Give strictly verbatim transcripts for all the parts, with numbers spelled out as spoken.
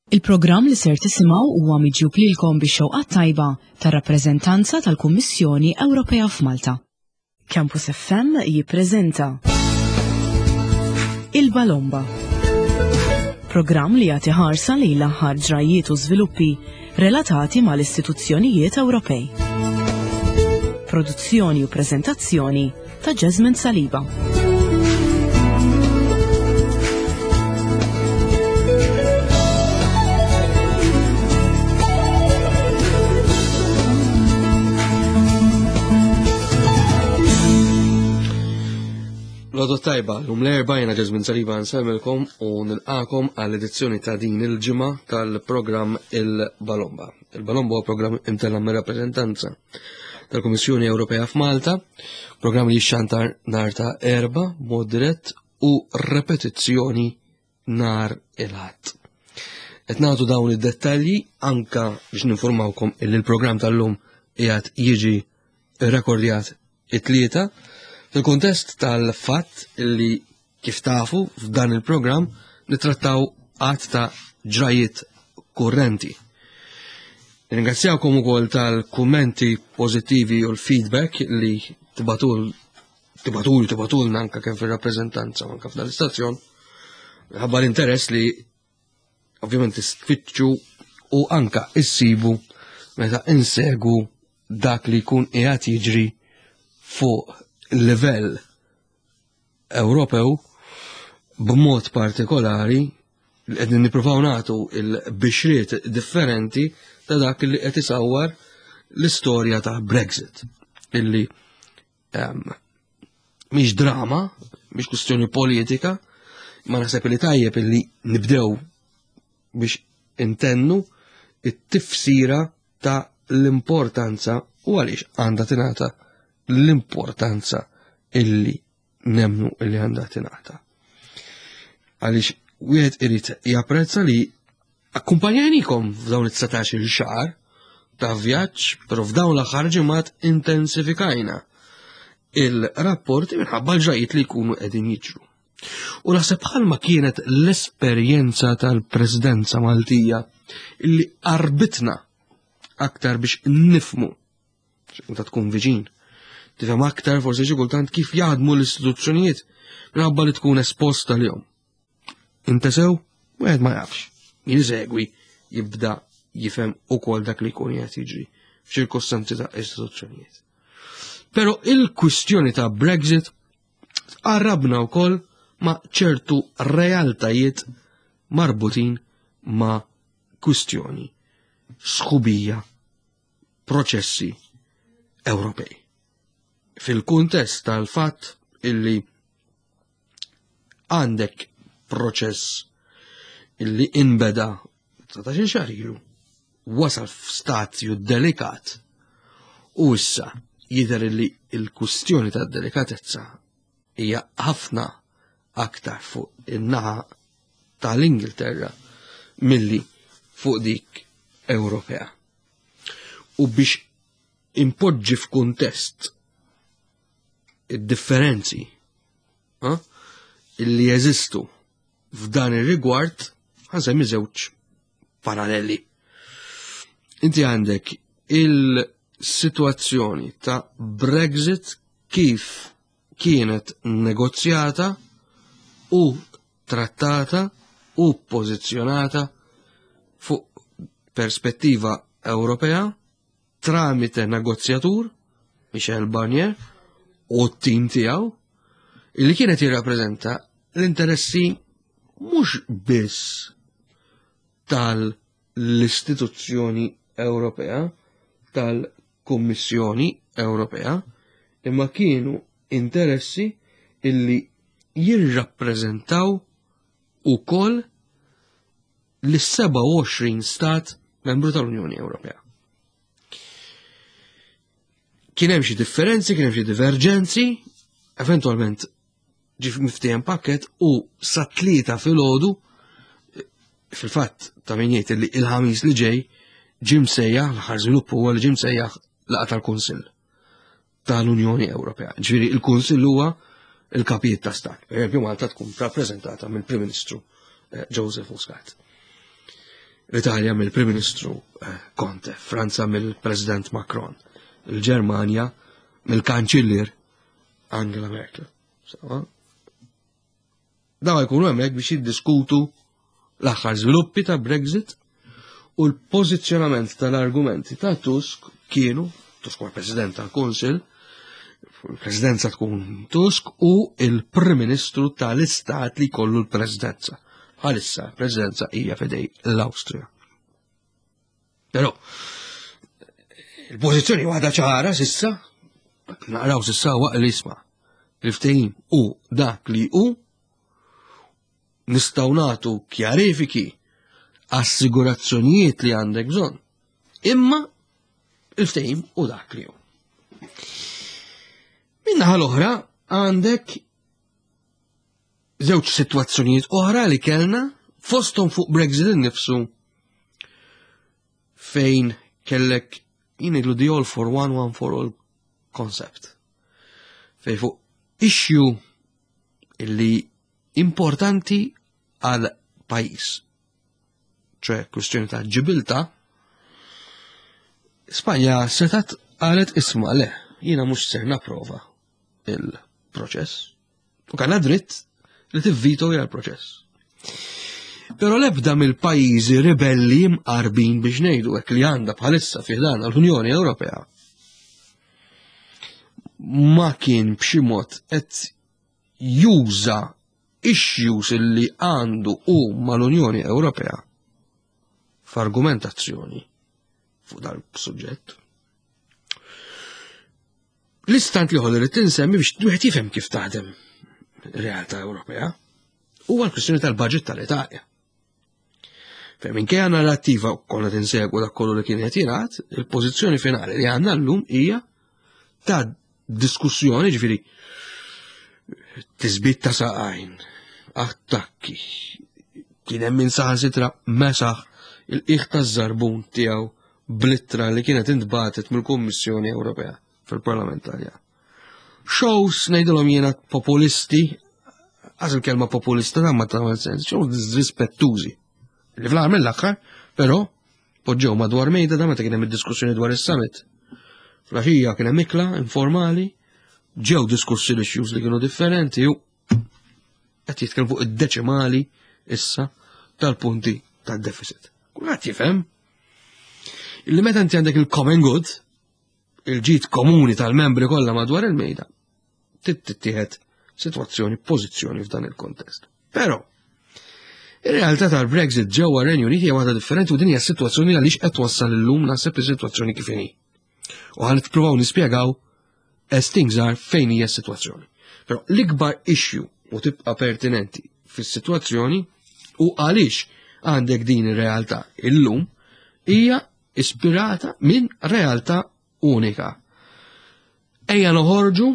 Il-programm li ser tisimgħu huwa miġjub lilkom bix-xewqa tajba tar-rappreżentanza tal-Kummissjoni Ewropea f'Malta. Campus F M jippreżenta Il-Balomba. Programm li jagħti ħarsa lejn l-aħħar ġrajiet u żviluppi relatati mal-istituzzjonijiet Ewropej. Produzzjoni u preżentazzjoni ta' Jasmine Saliba. L-għodwa t-tajba, illum l-Erbgħa, jiena Jasmine Saliba nsellmilkom u nilqagħkom għall-edizzjoni ta' din il-ġimgħa tal-programm Il-Balomba. Il-Balomba huwa programm imtella' mir-rappreżentanza tal-Kummissjoni Ewropea f'Malta, programm li jixxantar nhar ta' Erbgħa mod dirett u repetizzjoni nhar il-Ħadd. Qed nagħtu dawn id-dettalji anka biex ninformawkom illi l-programm tal-lum qiegħed jiġi rekordjat it-Tlieta fil-kuntest tal-fatt li, kif tafu, f'dan il-programm nitrattaw għadd ta' ġrajiet kurrenti. Ringrazzjawkom ukoll tal-kummenti pożittivi u l-feedback li tibagħtul tibagħtul tibagħtulna anka kemm fir-rappreżentanza u anka f'dan l-istazzjon. Ħabba l-interess li ovvjament tfittxu u anka issibu meta insegu dak li jkun qiegħed jiġri fuq livell Ewropew, b'mod partikolari li qed nippruvaw nagħtu il-bixriet differenti ta' dak li qed isawwar l-istorja ta' Brexit, illi um, mhix drama, mhix kwistjoni politika, ma naħseb li tajjeb illi nibdew biex intennu it-tifsira ta' l-importanza u għaliex għandha tingħata l-importanza illi nemnu illi għandha tingħata. Għaliex wieħed irid japprezza li akkumpanjajnikom f'dawn it-dsatax-il xahar ta' vjaġġ, però f'dawn l-aħħar ġimgħat intensifikajna il-rapporti minħabba l-ġrajiet li jkunu qegħdin jiġru. U naħseb bħalma kienet l-esperjenza tal-Presidenza Maltija illi qarbitna aktar biex nifhmu, meta tkun viċin, tifhem aktar forsi xi kultant kif jaħdmu l-istituzzjonijiet minħabba li tkun esposta lilhom. Inta sew, wieħed ma jafx. Min isegwi jibda jifhem ukoll dak li jkun qed jiġri f'ċirkostanzi ta' istituzzjonijiet. Però il-kwistjoni ta' Brexit tqarrabna wkoll ma' ċertu realtajiet marbutin ma' kwistjoni sħubija, proċessi Ewropej. Fil-kuntest tal-fatt illi għandek proċess illi inbeda dsatax-il xahar ilu, wasal f'stadju delikat u issa jidher illi il-kwistjoni ta' delikatezza hija ħafna aktar fuq in-naħa tal-Ingilterra milli fuq dik Ewropea. U biex impoġġi f'kuntest id-differenzi illi jeżistu f'dan ir-rigward, ħa nsemmi żewġ paralleli. Inti għandek il-situazzjoni ta' Brexit kif kienet negozjata u trattata u pożizzjonata fuq perspettiva Ewropea tramite negozjatur Michel Barnier u t-tim tiegħu, illi kienet jirrappreżenta l-interessi mhux biss tal-istituzzjoni Ewropea, tal-Kummissjoni Ewropea, imma kienu interessi illi jirrappreżentaw ukoll l-sebgħa u għoxrin stat membru tal-Unjoni Ewropea. Kien hemm xi differenzi, kien hemm xi diverġenzi, eventualment ġie miftiehem pakket u sa tlieta filgħodu, fil-fatt ta' min jgħid li il-Ħamis li ġej ġie msejjaħ, l-aħħar żvilupp huwa li ġie msejjaħ laqgħa tal-Kunsill tal-Unjoni Ewropea. Ġifieri il-Kunsill huwa il-kapijiet ta' stat. Per eżempju, Malta tkun rappreżentata mill-Prim Ministru eh, Joseph Muscat. L-Italja mill-Prim Ministru eh, Conte, Franza mill-President Macron, il-Ġermanja mill-Kanċillier Angela Merkel. Sawa? Daw jkunu hemmhekk biex jiddiskutu l-aħħar żviluppi ta' Brexit u l-pożizzjonament tal-argumenti ta' Tusk kienu, Tusk huwa President tal-Kunsill, il-Presidenza tkun Tusk u il-Prim Ministru tal-Istat li kollu l-Presidenza. Bħalissa l-Presidenza hija f'idejn l-Awstrija. Però il-pożizzjoni waħda ċara s'issa, naqraw s'issa waqt li isma' il-ftehim u dak li hu nistgħu nagħtu kjarifiki assigurazzjonijiet li għandek bżonn. Imma il-ftehim u dak li hu. Min-naħa l-oħra għandek żewġ sitwazzjonijiet oħra li kellna fosthom fuq Brexit innifsu fejn kellek jien ngħidlu the all for one, one for all concept. Fejn fuq issue illi importanti għal pajjiż. ċe kwestjoni ta' Ġibiltà, Spanja setat qalet isma' le, jiena mhux ser napprova il-proċess. U kellha dritt li tivvito l-proċess. Però l-ebda mill-pajjiżi ribelli mqarbin biex ngħidu hekk li għandha bħalissa fi ħdan l-Unjoni Ewropea ma kien b'xi mod qed juża issues illi għandu u mal-Unjoni Ewropea f'argumentazzjoni fuq dal-suġġett. L-istant li ħolli tinsemmi biex wieħed jifhem kif taħdem realtà Ewropea huwa l-kwistjoni tal-budget tal-Italja. Fejn minkejja narrattiva konna tinsegwu dak kollu li kien qed jingħad, il-pożizzjoni finali li għandna llum hija ta' diskussjoni ġifieri tisbit ta' saqajn, attakki, kien hemm min saħansitra mesaħ il-qiegħ taż-żarbun tiegħu bl-ittra li kienet intbatet mill-Kummissjoni Ewropea fil-Parlament Taljan. Shows ngħidilhom jiena populisti, għax il-kelma populista dan ma tagħmel sens, shows disrispettużi. Li fl-aħħar mill-aħħar, però poġġew madwar mejda da meta kien hemm id-diskussjoni dwar is-summit. Fl-għaxija kien hemm ikla informali, ġew diskussi l-issues li kienu differenti u qed jitkellmu fuq id-deċimali issa tal-punti tad-deficit. Kulħadd jifhem illi meta inti għandek il-common good, il-ġid komuni tal-membri kollha madwar il-mejda, tittieħed sitwazzjoni, pożizzjoni f'dan il-kontest. Però, ir-realtà tal-Brexit ġewwa Renju Unit hija waħda differenti u din hija sitwazzjoni għaliex qed wassal illum naħseb is-sitwazzjoni kif inhi. U ħa nippruvaw nispjegaw as things are fejn hija s-sitwazzjoni. Però l-ikbar issue u tibqa' pertinenti fis-sitwazzjoni u għaliex għandek din ir-realtà illum hija ispirata minn realtà unika. Ejja noħorġu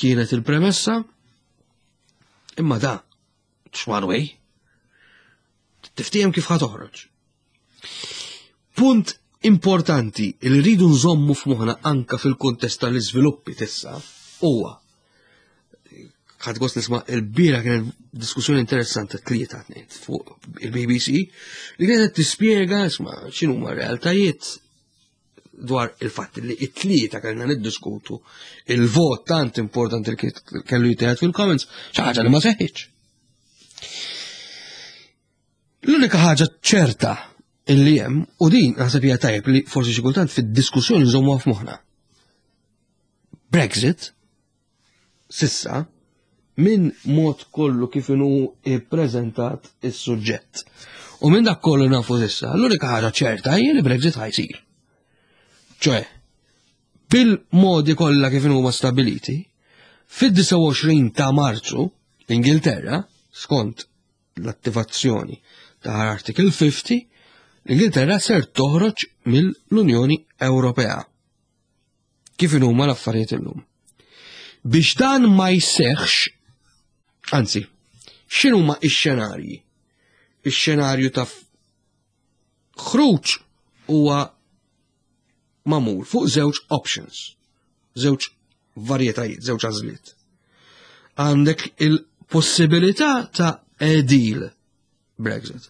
kienet il-premessa imma da one way. Tiftijem kif ħa toħroġ. Punt importanti li rridu nżommu f'moħħna anka fil-kuntest tal-iżviluppi tissa huwa ħadt gost nisma' il-bieraħ kienet diskussjoni interessanti tlieta tnejn fuq il-B B C li kienet tispjega isma' x'inhuma realtajiet dwar il-fatt li it-tlieta kellna niddiskutu il-vot tant importanti li kellu jittieħed fil-Commons, xi ħaġa li ma seħħitx. L-unika ħaġa ċerta illi hemm, u din naħseb hija tajjeb li forsi xi kultant fid-diskussjoni nżommuha f'moħħna. Brexit s'issa minn mod kollu kif inhu ippreżentat is-suġġett. U minn dak kollu nafu s'issa, l-unika ħaġa ċerta hija li Brexit ħa jsir. ċoè, bil-modi kollha kif huma stabiliti, fid-disgħa u għoxrin ta' Marzu, l-Ingilterra, skont l-attivazzjoni ta' Article fifty, l-Ingilterra ser toħroġ mill-Unjoni Ewropea. Kif huma l-affarijiet illum? Biex dan ma jseħħx, anzi, x'inhuma x-xenarji? Ix-xenarju ta' ħruġ huwa magħmul fuq żewġ options, żewġ varjetajiet, żewġ għażliet. Għandek il-possibilità ta' a deal Brexit.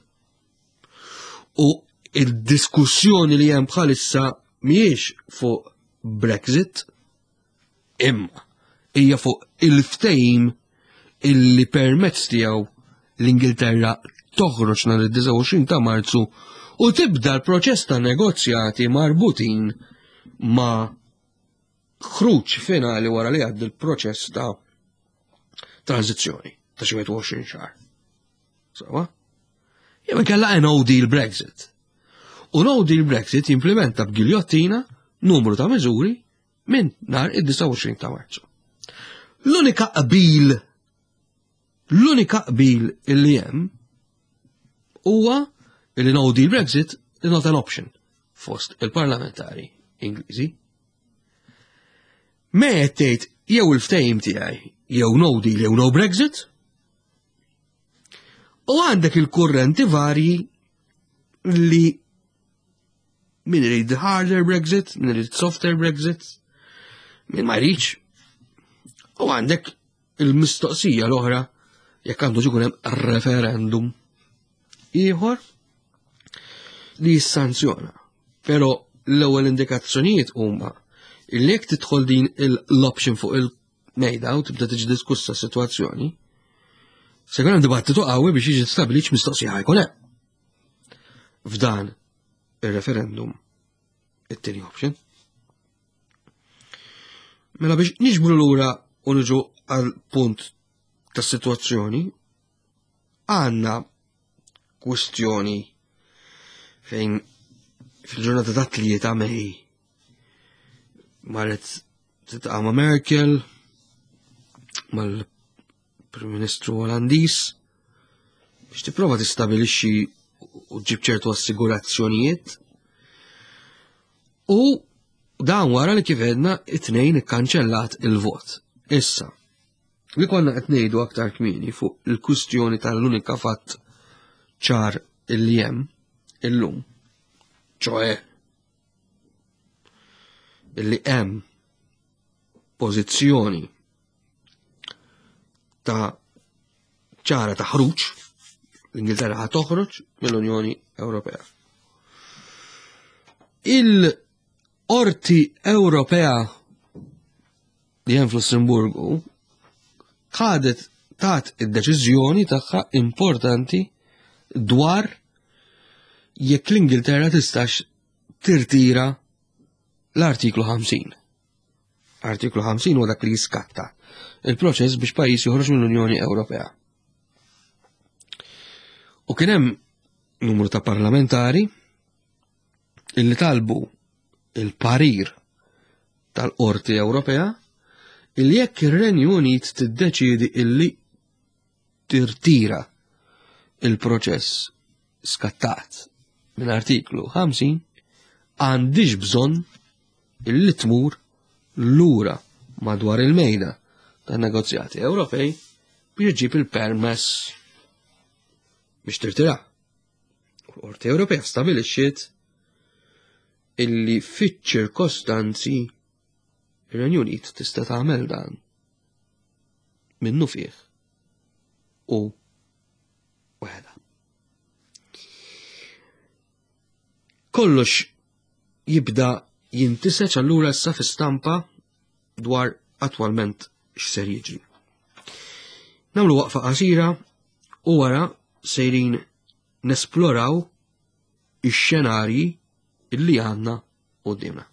U il-diskussjoni li hemm bħalissa mhijiex fuq Brexit, imma hija fuq il-ftehim illi permezz tiegħu l-Ingilterra toħroġ nhar id-disgħa u għoxrin ta' Marzu u tibda l-proċess ta' negozjati marbutin ma' ħruġ finali wara li għaddi l-proċess ta' tranzizzjoni ta' xi wieħed u għoxrin xahar. Sawa? Jew inkella no deal Brexit. U no deal Brexit jimplementa b'giljottina numru ta' miżuri minn nhar id-disgħa u għoxrin ta' Marzu. L-unika qbil, l-unika qbil illi hemm huwa illi no deal Brexit is not an option fost il-parlamentari Ingliżi. Me qed tgħid jew il-ftehim tiegħi jew no deal jew no Brexit. U għandek il-kurrenti varji li min irid harder Brexit, min irid softer Brexit, min ma jridx. U għandek il-mistoqsija l-oħra jekk għandu ikun hemm referendum ieħor li jissanzjona. Però l-ewwel indikazzjonijiet huma li jekk tidħol din l-option fuq il-mejda u tibda tiġi diskussa s-sitwazzjoni, se jkun hemm dibattitu qawwi biex jiġi stabbilit x'mistoqsija ħajkun hemm. F'dan ir-referendum it-tieni option. Mela biex niġbru lura u niġu għal punt tas-sitwazzjoni, għandna kwistjoni fejn fil-ġurnata ta' tlieta May marret tiltaqa' ma' Merkel, mal-Prim Ministru Olandiż, biex tipprova tistabilixxi u ġib ċertu assigurazzjonijiet. U dan wara li kif għedna it-tnejn ikkanċellat il-vot. Issa, li konna qed ngħidu aktar kmieni fuq il-kwistjoni tal-unika fatt ċar illi hemm illum, ċoe illi hemm pożizzjoni ta' ċara ta' ħruġ, l-Ingilterra ħa toħroġ mill-Unjoni Ewropea. Il-Qorti Ewropea li hemm fl-Lussemburgu ħadet tat id-deċiżjoni tagħha importanti dwar jekk l-Ingilterra tistax tirtira l-artiklu ħamsin. Artiklu ħamsin huwa dak li jiskatta il-proċess biex pajjiż joħroġ mill-Unjoni Ewropea. U kien hemm numru ta' parlamentari illi talbu il-parir tal-Qorti Ewropea illi jekk ir-Renju Unit tiddeċiedi illi tirtira il-proċess skattat minn artiklu ħamsin, għandix bżonn illi tmur lura madwar il-mejda tan-negozjati Ewropej biex iġib il-permess biex tirtira. U l-Qorti Ewropea stabilixxiet illi fiċ-ċirkostanzi ir-Renju Unit tista' tagħmel dan minnu fih u waħda. Kollox jibda jintiseċ allura issa fi stampa dwar attwalment x'ser jiġri. Nagħmlu waqfa qasira u wara sejrin nesploraw ix-xenarji illi għandna quddiemna.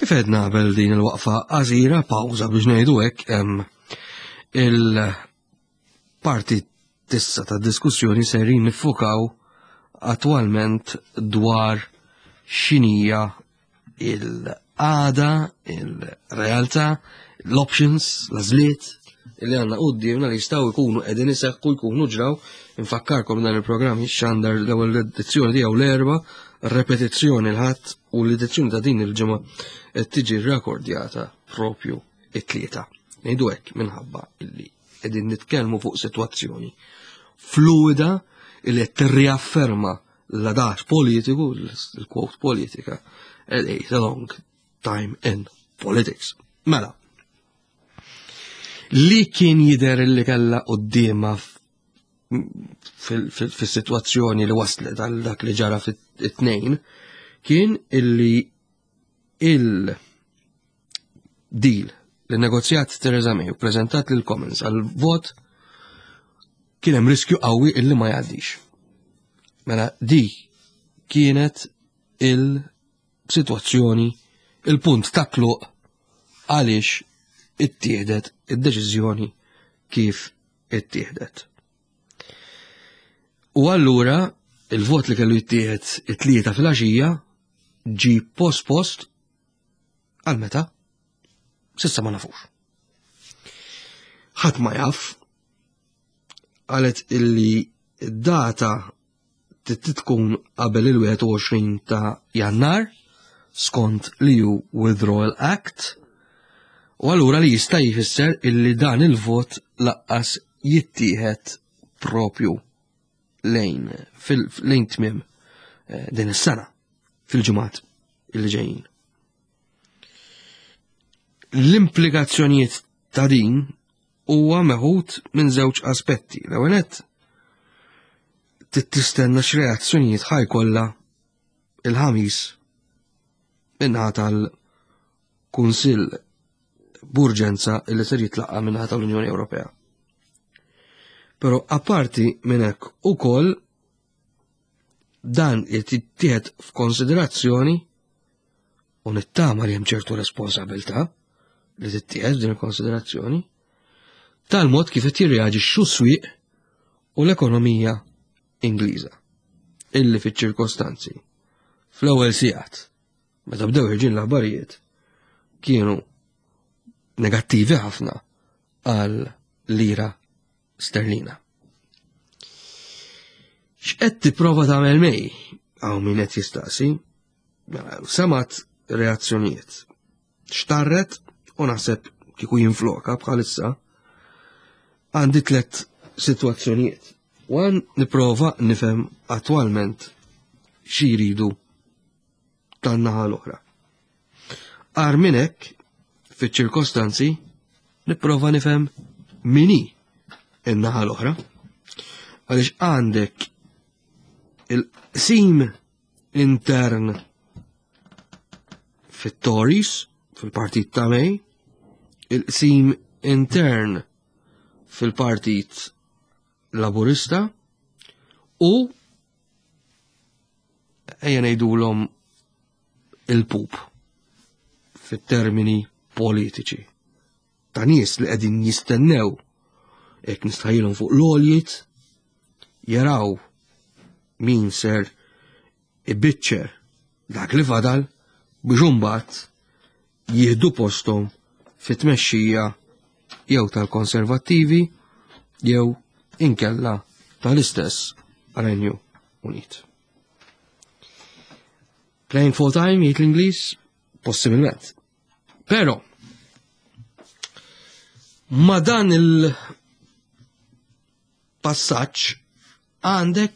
Kif għedna qabel din il-waqfa qasira, pawża biex ngħidu hekk, em, il-parti tissa ta' diskussjoni serin nifukaw attwalment dwar x'inhija il-għada, il-realtà, l-options, l-għażliet li għandna quddiemna li jistgħu jkunu qegħdin iseħħu, jkunu ġraw. Infakkarkom dan il-programm jixxandar l-ewwel edizzjoni tiegħu l-Erbgħa, repetizzjoni l-Ħadd, u l-edizzjoni ta' din il-ġimgħa qed tiġi rrakordjata propju it-Tlieta. Ngħidu hekk minħabba illi qegħdin nitkellmu fuq sitwazzjoni fluida illi qed tirriafferma l-adaġ politiku, l-quote politika, a long time in politics. Mela, li kien jidher li kellha quddiemha fis-sitwazzjoni li waslet għal dak li ġara fit-Tnejn kien illi il-deal li negozjat Theresa May u prezentat lil Commons għal vot kien hemm riskju qawwi illi ma jgħaddix. Mela di kienet il-sitwazzjoni, il-punt ta' tluq għaliex ittieħdet id-deċiżjoni kif ittieħdet. U allura il-vot li kellu jittieħed it-Tlieta fil-għaxija ġi post-post għal meta? S'issa ma nafux. Ħadd ma jaf, qalet illi d-data tkun qabel il-wieħed u għoxrin ta' Jannar skont l-E U Withdrawal Act, u allura li jista' jfisser illi dan il-vot lanqas jittieħed propju lejn lejn tmiem eh, din is-sena, fil-ġimgħat illi ġejjin. L-implikazzjonijiet ta' din huwa meħud minn żewġ aspetti. L-ewwel nett tistenna x'reazzjonijiet ħa jkollha il-Ħamis min-naħa tal-Kunsill b'urġenza illi ser jitlaqqa min-naħa tal-Unjoni Ewropea. Però apparti minn hekk ukoll dan jittieħed f'konsiderazzjoni, u nittama li hemm ċertu responsabilità li tittieħed din il-konsiderazzjoni, tal-mod kif qed jirreaġixxu s-swieq u l-ekonomija Ingliża illi fiċ-ċirkostanzi fl-ewwel sigħat meta bdew ħerġin l-aħbarijiet kienu negattivi ħafna għal lira sterlina. X'qed tipprova tagħmel May? Hawn min qed jistaqsi. Mela, semat reazzjonijiet. Xtarret u naħseb kieku jinfloka bħalissa għandi tlet sitwazzjonijiet. One, nipprova nifhem attwalment xi jridu tan-naħa l-oħra. Ar minn hekk, fiċ-ċirkostanzi, nipprova nifhem min hi in-naħa l-oħra. Għaliex għandek il-qsim intern fit-Tories, fil-partit ta' May, il-qsim intern fil-partit Laburista u ejja ngħidulhom il-pup fit-termini politiċi ta' nies li qegħdin jistennew, hekk nistħajjilhom fuq l-għoljiet, jaraw min ser ibiċċer dak li fadal biex imbagħad jieħdu posthom fit-tmexxija jew tal-Konservattivi jew inkella tal-istess Renju Unit. Playing for time, jgħid l-Ingliż, possibilment. Però, ma dan il-passaġġ għandek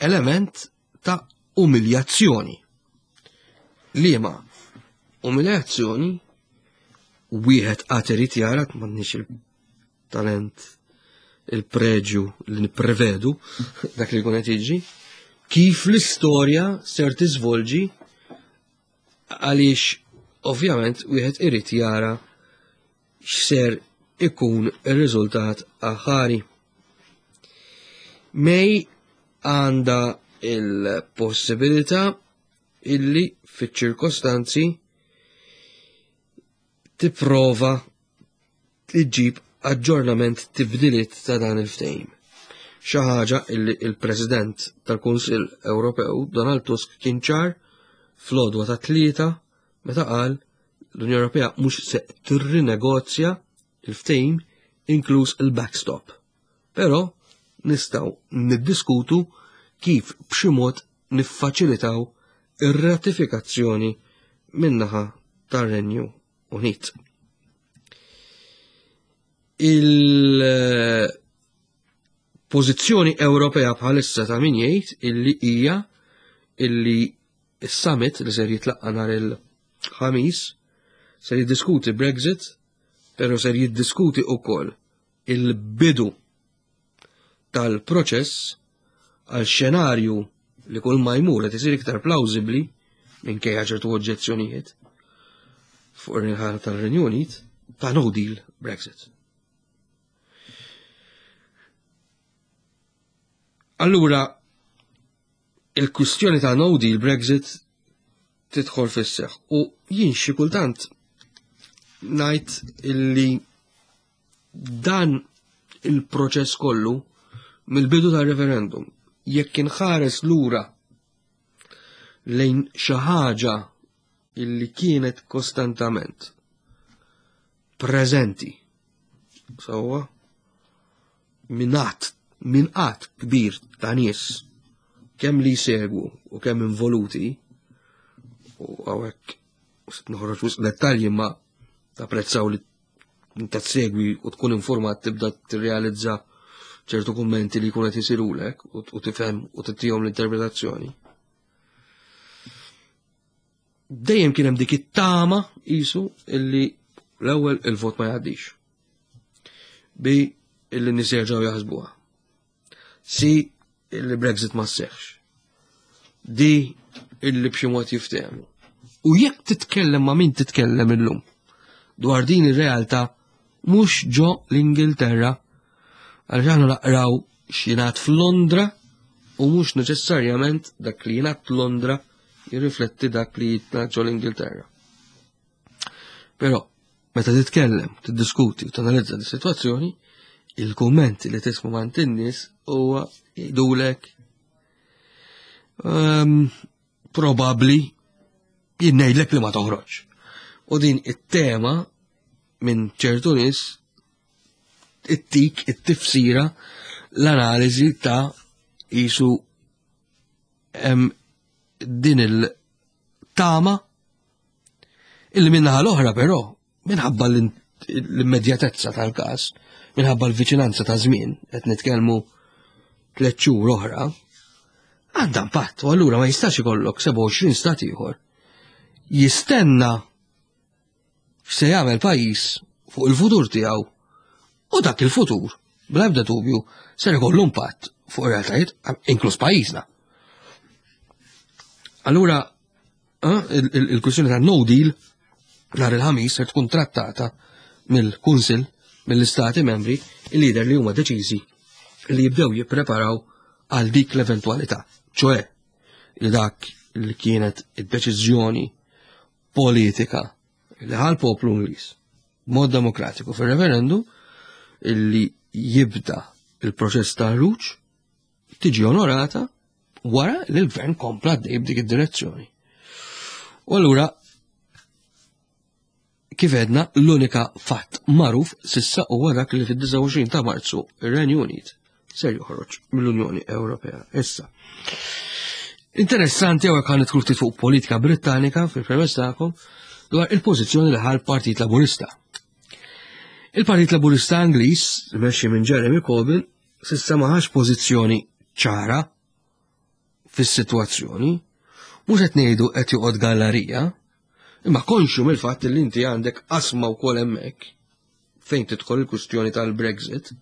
element ta' umiljazzjoni. Liema umiljazzjoni wieħed għad irid jara, m'għandniex il-talent, il-preġju li nipprevedu dak li jkun qed jiġri, kif l-istorja ser tiżvolġi, għaliex ovvjament wieħed irid jara x'ser ikun ir-riżultat aħari. May għandha il-possibilità illi fiċ-ċirkostanzi tipprova tġib aġġornament, tibdiliet ta' dan il-ftehim. Xi ħaġa illi il-President tal-Kunsill Ewropew Donald Tusk kien ċar fl-għodwa ta' Tlieta meta qal l-Unjoni Ewropea mhux se tirrinegozja il-ftehim inkluż il-backstop. Però nistgħu niddiskutu kif b'xi mod niffaċilitaw ir-ratifikazzjoni min-naħa tar-Renju Unit. Il-pożizzjoni Ewropea bħalissa ta' min jgħid illi hija illi is-summit li ser jitlaqqa nhar il-Ħamis ser jiddiskuti Brexit, però ser jiddiskuti wkoll il-bidu tal-proċess għal xenarju li kull ma jmur qed isir iktar plawsibbli minkejja ċertu oġġezzjonijiet fuq ir-rinħal tal-Renju Unit ta' no deal Brexit. Allura, il-kwistjoni ta' no deal Brexit tidħol fis-seħħ u jien xi kultant ngħid illi dan il-proċess kollu mill-bidu tar-referendum jekk inħares lura lejn xi ħaġa illi kienet kostantament preżenti sewwa minn għadd minn għadd kbir ta' nies kemm li jsegwu u kemm involuti, u hawnhekk noħroġ wisq dettalji ma tapprezzaw li inta tsegwi u tkun informat tibda tirrealizza ċertu kummenti li jkun qed isirulek u tifhem u tittihom l-interpretazzjoni. Dejjem kien hemm dik it-tama qisu illi l-ewwel il-vot ma jgħaddix. Bi illi nies jerġgħu jaħsbuha. Si illi Brexit ma sseħħx. Di illi b'xi mod jiftehmu. U jekk titkellem ma' min titkellem illum dwar din ir-realtà mhux ġo l-Ingilterra, għaliex aħna naqraw x'jingħad f'Londra u mhux neċessarjament dak li jingħad Londra jirrifletti dak li jingħad ġo l-Ingilterra. Però meta titkellem, tiddiskuti u tanalizza dis-sitwazzjoni, il-kummenti li tisma' mant in-nies huwa jgħidulek um, probabbli jien ngħidlek li ma toħroġ. U din it-tema minn ċertu nies it-tik, it-tifsira, l-analiżi ta' jisu hemm din il-tama illi minnaħa l-oħra però minħabba l-immedjatezza tal-każ, minħabba l-viċinanza ta' żmien, qed nitkellmu tliet xhur oħra, għandha impatt, u allura ma jistax ikollok sebgħa u għoxrin stat ieħor jistenna x'se jagħmel pajjiż fuq il-futur tiegħu, u dak il-futur, bla ebda dubju, ser ikollu impatt fuq ir-realtajiet, inkluż pajjiżna. Allura, il-kwistjoni ta' no deal nhar il-Ħamis ser tkun trattata mill-Kunsill, mill-Istati membri, il-lider li huma deċiżi li jibdew jippreparaw għal dik l-eventwalità, ċoe li dak li kienet id-deċiżjoni politika li ħal poplu Ingliż b'mod demokratiku fir-referendum illi jibda il-proċess ta' ħruġ tiġi onorata wara li l-gvern kompla għaddej b'dik id-direzzjoni. U allura kif għedna, l-unika fatt magħruf sissa huwa dak li fid-disgħa u għoxrin ta' Marzu ir-Renju Unit ser joħroġ mill-Unjoni Ewropea. Issa, interessanti hawnhekk ħa nidħlu ftit fuq politika Brittanika fil-premess tagħkom dwar il-pożizzjoni li ħa l-Partit Laburista. Il-Partit Laburista Ingliż, mexxi minn Jeremy Corbyn, sissa ma ħax pożizzjoni ċara fis-sitwazzjoni, mhux qed ngħidu qed joqgħod gallerija, imma konxju mill-fatt li inti għandek qasma wkoll hemmhekk fejn tidħol il-kwistjoni tal-Brexit.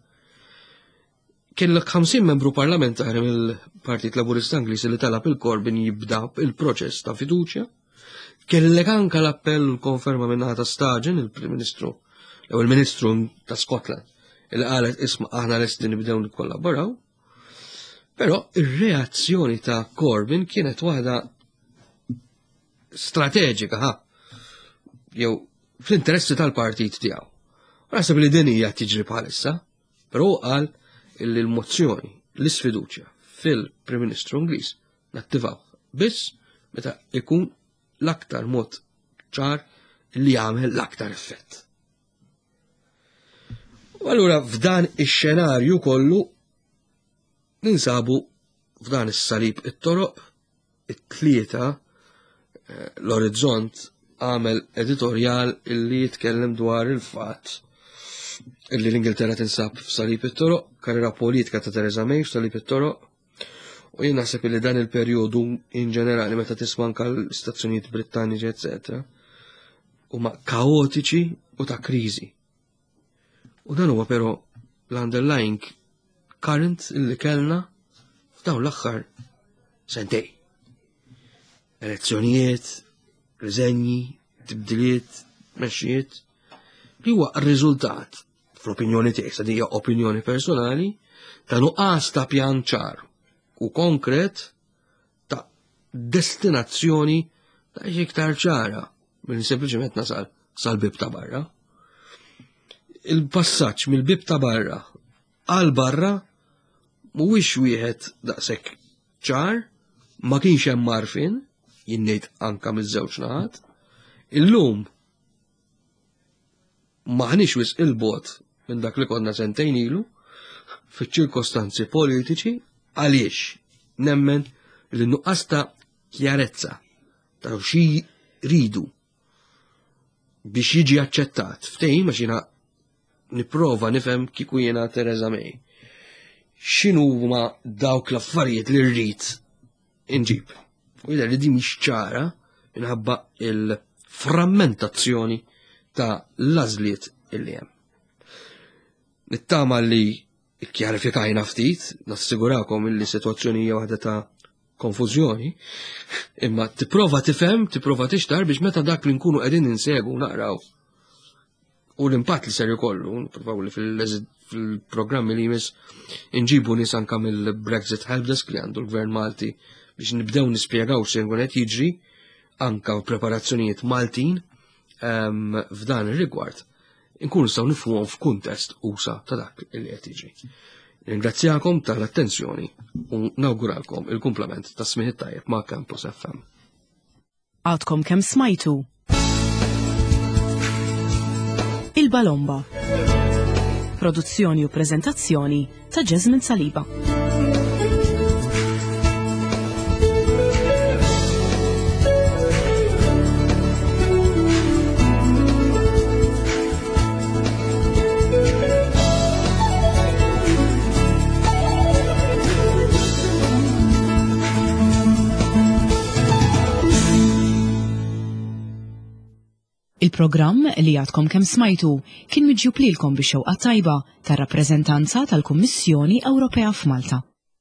Kellek ħamsin membru parlamentari mill-Partit Laburista Ingliż li talab il-Corbyn jibda il-proċess ta' fiduċja. Kellek anka l-appell u l-konferma minn naħa ta' Sturgeon, il-Prim Ministru, jew il-Ministru ta' Scotland, li qalet isma' aħna lesti nibdew nikkollaboraw. Però ir-reazzjoni ta' Corbyn kienet waħda strateġika, ha, jew fl-interessi tal-partit tiegħu. U naħseb li din hija tiġri bħalissa, però hu qal illi l-mozzjoni, l-isfiduċja fil-Prim Ministru Ingliż nattivaw biss meta ikun l-aktar mod ċar li jagħmel l-aktar effett. U allura f'dan ix-xenarju kollu ninsabu f'dan is-salib it-toroq, it-tlieta, eh, l-Orizzont għamel editorjal illi jitkellem dwar il-fatt illi l-Ingilterra tinsab f'salib it-toroq, karriera politika ta' Theresa May f'salib it-toroq, u jien naħseb illi dan il-perjodu in ġenerali meta tisma' anke l-istazzjonijiet Brittaniċi eċetera, huma kaotiċi u ta' kriżi. U dan huwa però l-underlying current illi kellna f'dawn l-aħħar sentej. Elezzjonijiet, riżenji, tibdiliet, mexxijiet, li huwa r-riżultat, fl-opinjoni tiegħi, sa hija opinjoni personali, ta' nuqqas ta' pjan ċar u konkret ta' destinazzjoni ta' iktar ċara minn sempliċement nasal sal-bib ta' barra. Il-passaġġ mill-bib ta' barra għal barra mhuwiex wieħed daqshekk ċar, ma kienx hemm marfin, jien ngħid anka miż-żewġ naħat. Illum maħniex wisq il-bot minn dak li konna sentejn ilu fiċ-ċirkostanzi politiċi, għaliex nemmen li nuqqas ta' kjarezza ta' xi ridu biex jiġi aċċettat ftehim, għax jiena nipprova nifhem kieku jiena Theresa May. X'inhuma dawk l-affarijiet li rrid inġib? U jidher li din mhix ċara minħabba il-frammentazzjoni ta' l-għażliet illi hemm. Nittama li kkjarifikajna ftit, nassigurakom illi sitwazzjoni hija waħda ta' konfużjoni, imma tipprova tifhem, tipprova tixtar biex meta dak li nkunu qegħdin insegu naqraw u l-impatt li ser jkollu, nippruvaw li fil-programmi li jmiss inġibu nies anka mill-Brexit Helpdesk li għandu l-Gvern Malti biex nibdew nispjegaw x'se jkun qed jiġri anka preparazzjonijiet Maltin ehm, f'dan ir-rigward. Inkunu nistgħu nifhmuhom f'kuntest usa ta' dak li qed jiġri. Ringrazzjakom tal-attenzjoni u nawguralkom il-kumplament ta' smigħ tajjeb ma' Campus F M. Għadkom kemm smajtu Il-Balomba. Produzzjoni u preżentazzjoni ta' Jasmine Saliba. Il-programm li għadkom kemm smajtu kien miġjub lilkom bix-xewqa tajba tar-rappreżentanza tal-Kummissjoni Ewropea f'Malta.